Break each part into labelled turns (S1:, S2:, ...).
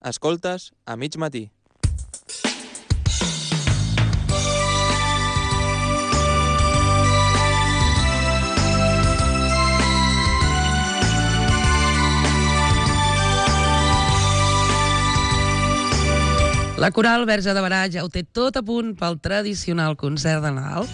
S1: Escoltes a mig matí.
S2: La Coral Verge de Barà ja ho té tot a punt pel tradicional concert de Nadal.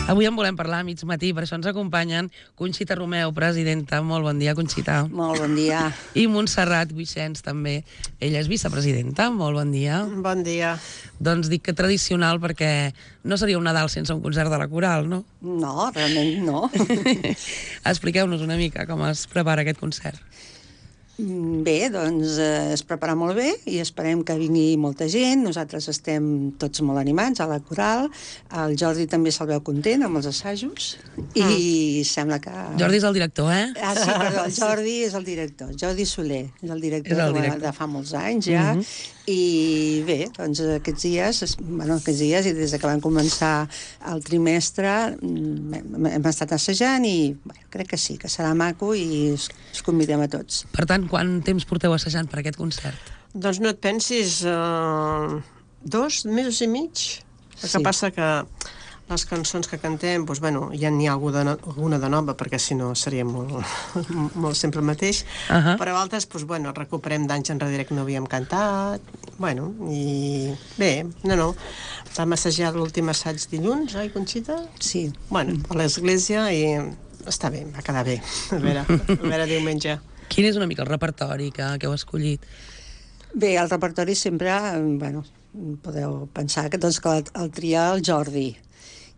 S2: Avui en volem parlar a mig matí, per això ens acompanyen Conxita Romeu, presidenta. Molt bon dia, Conxita.
S3: Molt bon dia.
S2: I Montserrat Guixens, també. Ella és vicepresidenta. Molt bon dia.
S4: Bon dia.
S2: Doncs dic que tradicional perquè no seria un Nadal sense un concert de la Coral, no?
S3: No, realment no.
S2: Expliqueu-nos una mica com es prepara aquest concert.
S3: Bé, doncs es prepara molt bé i esperem que vingui molta gent. Nosaltres estem tots molt animats a la Coral. El Jordi també se'l veu content amb els assajos i sembla que...
S2: Jordi és el director, eh?
S3: Ah, sí, perdó, el Jordi és el director. Jordi Soler és el director, de fa molts anys ja. I bé, doncs aquests dies i des que van començar el trimestre hem estat assajant i crec que sí, que serà maco i us convidem a tots.
S2: Per tant, quant temps porteu assajant per aquest concert?
S4: Doncs no et pensis, 2 mesos i mig. El que passa que les cançons que cantem, doncs, bueno, ja n'hi ha alguna de nova, perquè si no seria molt sempre el mateix, però altres, doncs, bueno, recuperem d'anys enrere que no havíem cantat, bueno, i bé, no, vam assajar l'últim assaig dilluns, oi, Conxita?
S3: Sí.
S4: Bueno, a l'església i està bé, va quedar bé, a veure diumenge.
S2: Quin és una mica el repertori que heu escollit?
S3: Bé, el repertori sempre, bueno, podeu pensar que el tria el Jordi.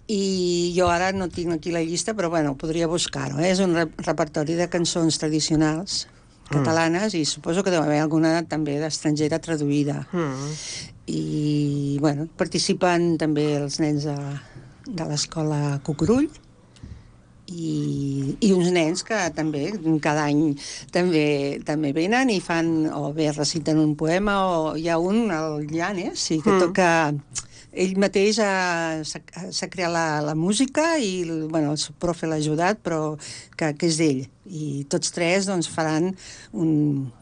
S3: I jo ara no tinc aquí la llista, però bueno, podria buscar-ho. És un repertori de cançons tradicionals catalanes i suposo que deu haver alguna també d'estrangera traduïda. I bueno, participen també els nens de l'escola Cucurull i uns nens que també cada any també venen i fan, o bé reciten un poema, o hi ha un, el Llanes, que toca... Ell mateix s'ha creat la música i bueno, el seu profe l'ha ajudat, però que és d'ell. I tots tres doncs, faran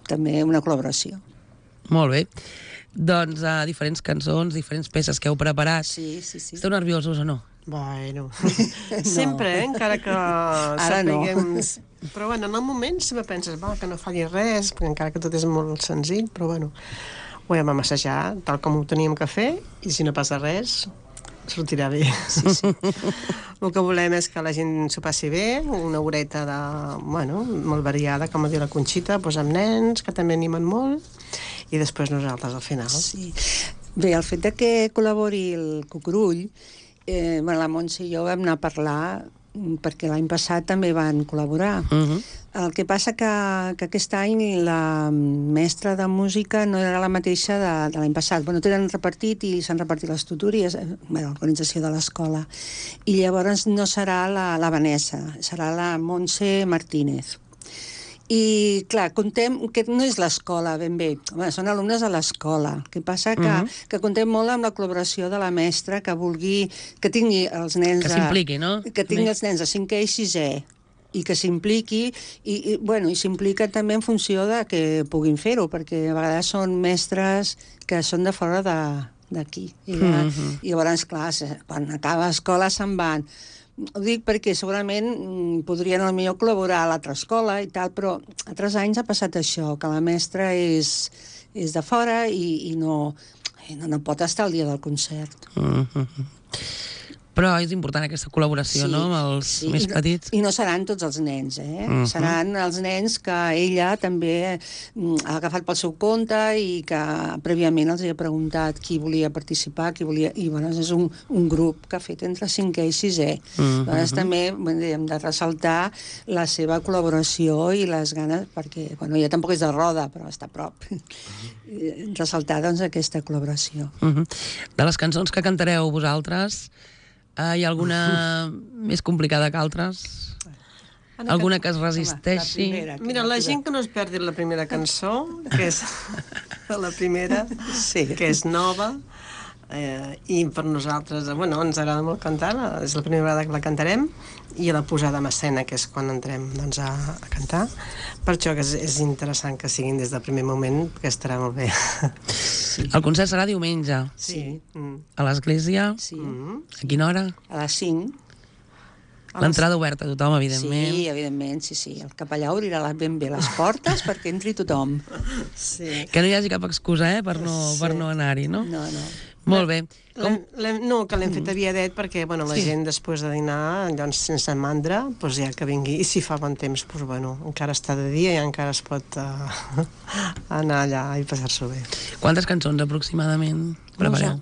S3: també una col·laboració.
S2: Molt bé. Doncs diferents cançons, diferents peces que heu preparat.
S3: Sí.
S2: Esteu nerviosos o no?
S4: Bueno, sempre, encara que sapiguem... Però bueno, en el moment sempre penses que no falli res, perquè encara que tot és molt senzill, però bueno... Ho vam assajar tal com ho teníem que fer i si no passa res, sortirà bé. Sí. El que volem és que la gent s'ho passi bé, una horeta molt variada, com diu la Conxita, doncs amb nens, que també animen molt, i després nosaltres al final.
S3: Sí. Bé, el fet que col·labori el Cucurull, la Montse i jo vam anar a parlar perquè l'any passat també van col·laborar. El que passa que aquest any la mestra de música no era la mateixa de l'any passat. Bueno, tenen repartit i s'han repartit les tutores, l'organització de l'escola. I llavors no serà la Vanessa, serà la Montse Martínez. I, clar, contem que no és l'escola ben bé. Són alumnes de l'escola. El que passa que contem molt amb la col·laboració de la mestra que vulgui... que tingui els nens...
S2: Que s'impliqui, no?
S3: Que tingui els nens de 5è i 6è i que s'impliqui i s'implica també en funció de que puguin fer-ho, perquè a vegades són mestres que són de fora d'aquí. I llavors, clar, quan acaba l'escola se'n van. Ho dic perquè segurament podrien potser col·laborar a l'altra escola i tal, però altres anys ha passat això, que la mestra és de fora i no pot estar al dia del concert.
S2: Però és important aquesta col·laboració, no?, amb els més petits.
S3: I no seran tots els nens, Seran els nens que ella també ha agafat pel seu compte i que prèviament els ha preguntat qui volia participar, i bueno, és un grup que ha fet entre 5è i 6è. Llavors també hem de ressaltar la seva col·laboració i les ganes, perquè bueno, ella tampoc és de Roda, però està a prop. Ressaltar doncs aquesta col·laboració.
S2: De les cançons que cantareu vosaltres, hi ha alguna més complicada que altres? Alguna que es resisteixi?
S4: Mira, la gent que no es perdi la primera cançó, que és la primera, que és nova, I per nosaltres, bueno, ens agrada molt cantar, és la primera vegada que la cantarem, i la posada en escena, que és quan entrem doncs, a cantar. Per això que és interessant que siguin des del primer moment, perquè estarà molt bé.
S2: El concert serà diumenge.
S4: Sí.
S2: A l'església?
S3: Sí.
S2: A quina hora?
S3: A les 5.
S2: L'entrada oberta a tothom, evidentment.
S3: Sí, evidentment, sí. El capellà obrirà ben bé les portes perquè entri tothom.
S4: Sí.
S2: Que no hi hagi cap excusa, per no anar-hi, no?
S3: No.
S2: Molt bé.
S4: No, que l'hem fet aviadet perquè la gent després de dinar, doncs sense mandra, doncs ja que vingui, i si fa bon temps, doncs encara està de dia i encara es pot anar allà i passar-s'ho bé.
S2: Quantes cançons aproximadament prepareu?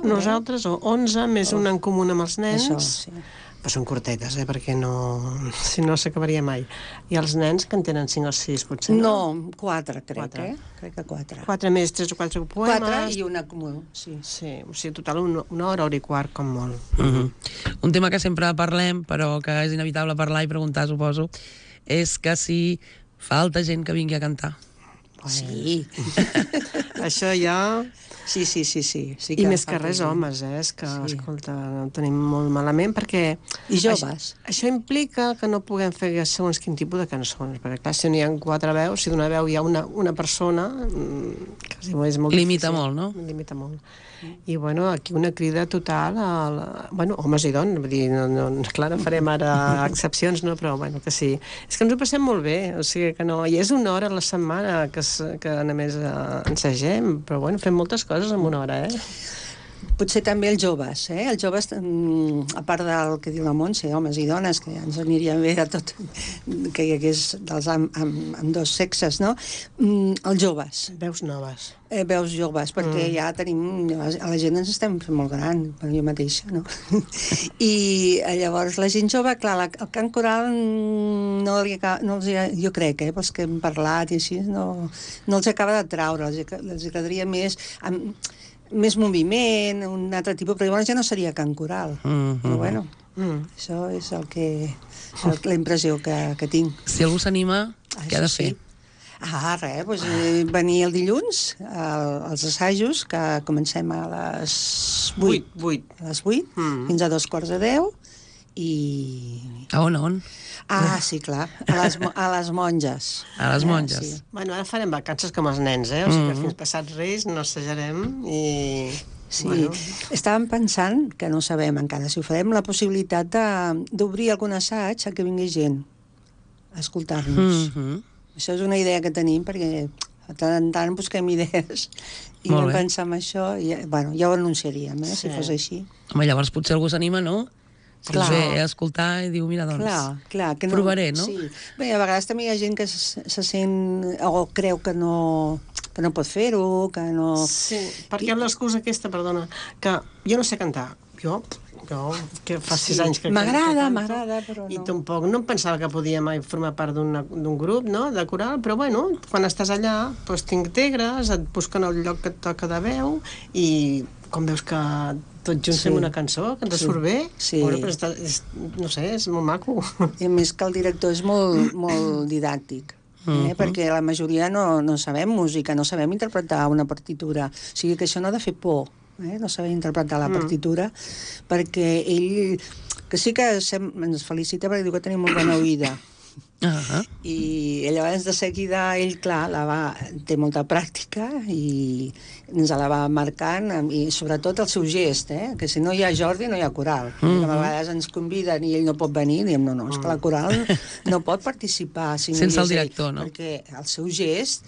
S4: Nosaltres 11, més una en comú amb els nens.
S3: Això, sí.
S4: Però són curtetes, perquè si no s'acabaria mai. I els nens que en tenen 5 o 6, potser, no?
S3: No, 4, crec que 4.
S4: 4 més 3 o 4 poemes.
S3: 4 i una comú, sí.
S4: Sí, o sigui, total una hora i quart, com molt.
S2: Un tema que sempre parlem, però que és inevitable parlar i preguntar, suposo, és que si falta gent que vingui a cantar.
S3: Sí.
S4: Això ja...
S3: Sí.
S4: I més que res homes, és que, escolta, ho tenim molt malament, perquè...
S3: I joves.
S4: Això implica que no puguem fer segons quin tipus de cançons, perquè clar, si n'hi ha 4 veus, si d'una veu hi ha una persona, quasi és molt
S2: limita
S4: difícil.
S2: Molt, no?
S4: Limita molt. I, aquí una crida total homes i dones, vull dir, clar, no farem ara excepcions, no, però, que sí. És que ens ho passem molt bé, o sigui que no... I és una hora a la setmana que només ensagem, però, fem moltes coses en una hora,
S3: Potser també els joves, Els joves, a part del que diu la Montse, homes i dones, que ens aniria bé de tot, que hi hagués amb dos sexes, no? Els joves.
S4: Veus noves.
S3: Veus joves, perquè ja tenim... A la gent ens estem fent molt gran, per jo mateixa, no? I llavors la gent jove, clar, el cant coral no els jo crec, pels que hem parlat i així, no els acaba de traure, els agradaria més moviment, un altre tipus, però llavors ja no seria cant coral. Però això és la impressió que tinc.
S2: Si algú s'anima, què ha de fer?
S3: Res, venir el dilluns als assajos, que comencem a les 8. A les 8, fins a 2:45, i...
S2: A on?
S3: Sí, clar, a les monges.
S2: A les monges.
S3: Sí.
S4: Ara farem vacances com els nens, o sigui que fins passats Reis no assajarem i...
S3: Sí, estàvem pensant, que no sabem encara si ho farem, la possibilitat d'obrir algun assaig a que vingui gent a escoltar-nos. Això és una idea que tenim, perquè de tant en tant busquem idees i vam pensar en això, i ja ho anunciaríem, si fos així.
S2: Home, llavors potser algú s'anima, no? Ve a escoltar i diu, mira, doncs,
S3: clar, que no,
S2: provaré, no?
S3: Sí. Bé, a vegades també hi ha gent que se sent o creu que no pot fer-ho, que no...
S4: Sí, perquè l'excusa aquesta, perdona, que jo no sé cantar. Jo que fa 6 anys que
S3: m'agrada, però no.
S4: I tampoc no em pensava que podia mai formar part d'un grup, no?, de coral, però quan estàs allà, doncs t'integres, et busquen el lloc que et toca de veu i com veus que tots junts fem una cançó, que ens surt bé, però no sé, és molt maco.
S3: I a més que el director és molt didàctic, perquè la majoria no sabem música, no sabem interpretar una partitura, o sigui que això no ha de fer por, no saber interpretar la partitura, perquè ell, que sí que ens felicita perquè diu que tenim molt bona oïda, i llavors de seguida ell, clar, té molta pràctica i ens la va marcant, i sobretot el seu gest, que si no hi ha Jordi no hi ha coral, a vegades ens conviden i ell no pot venir, i diem, no, és que la coral no pot participar
S2: sense el director, no?
S3: Perquè el seu gest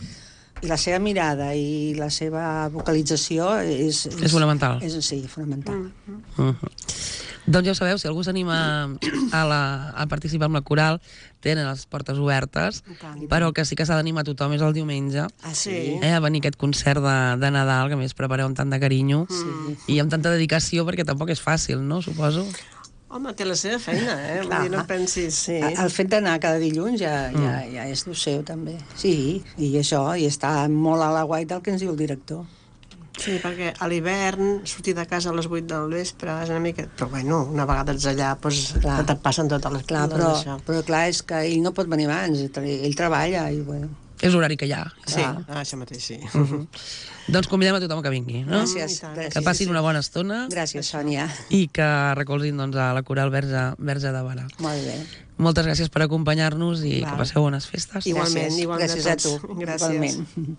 S3: i la seva mirada i la seva vocalització és
S2: fonamental.
S3: Sí, fonamental.
S2: Doncs ja ho sabeu, si algú s'anima a participar amb la coral, tenen les portes obertes, però que sí que s'ha d'animar tothom és el diumenge a venir a aquest concert de Nadal, que a més prepareu amb tant de carinyo i amb tanta dedicació, perquè tampoc és fàcil, no? Suposo.
S4: Home, té la seva feina, vull dir, no pensis...
S3: El fet d'anar cada dilluns ja és el seu, també. Sí, i això, i està molt a la guai del que ens diu el director.
S4: Sí, perquè a l'hivern sortir de casa a les 8 del vespre és una mica... Però una vegada ets allà, doncs et passen totes les coses.
S3: Però clar, és que ell no pot venir abans, ell treballa i bueno...
S2: És l'horari que hi ha.
S4: Sí, això mateix, sí.
S2: Doncs convidem a tothom que vingui, no?
S3: Gràcies.
S2: Que passin una bona estona.
S3: Gràcies, Sònia.
S2: I que recolzin a la Coral Verge de Barà.
S3: Molt bé.
S2: Moltes gràcies per acompanyar-nos i que passeu bones festes.
S4: Igualment, igualment
S3: gràcies a tu.
S4: Gràcies.
S3: Igualment.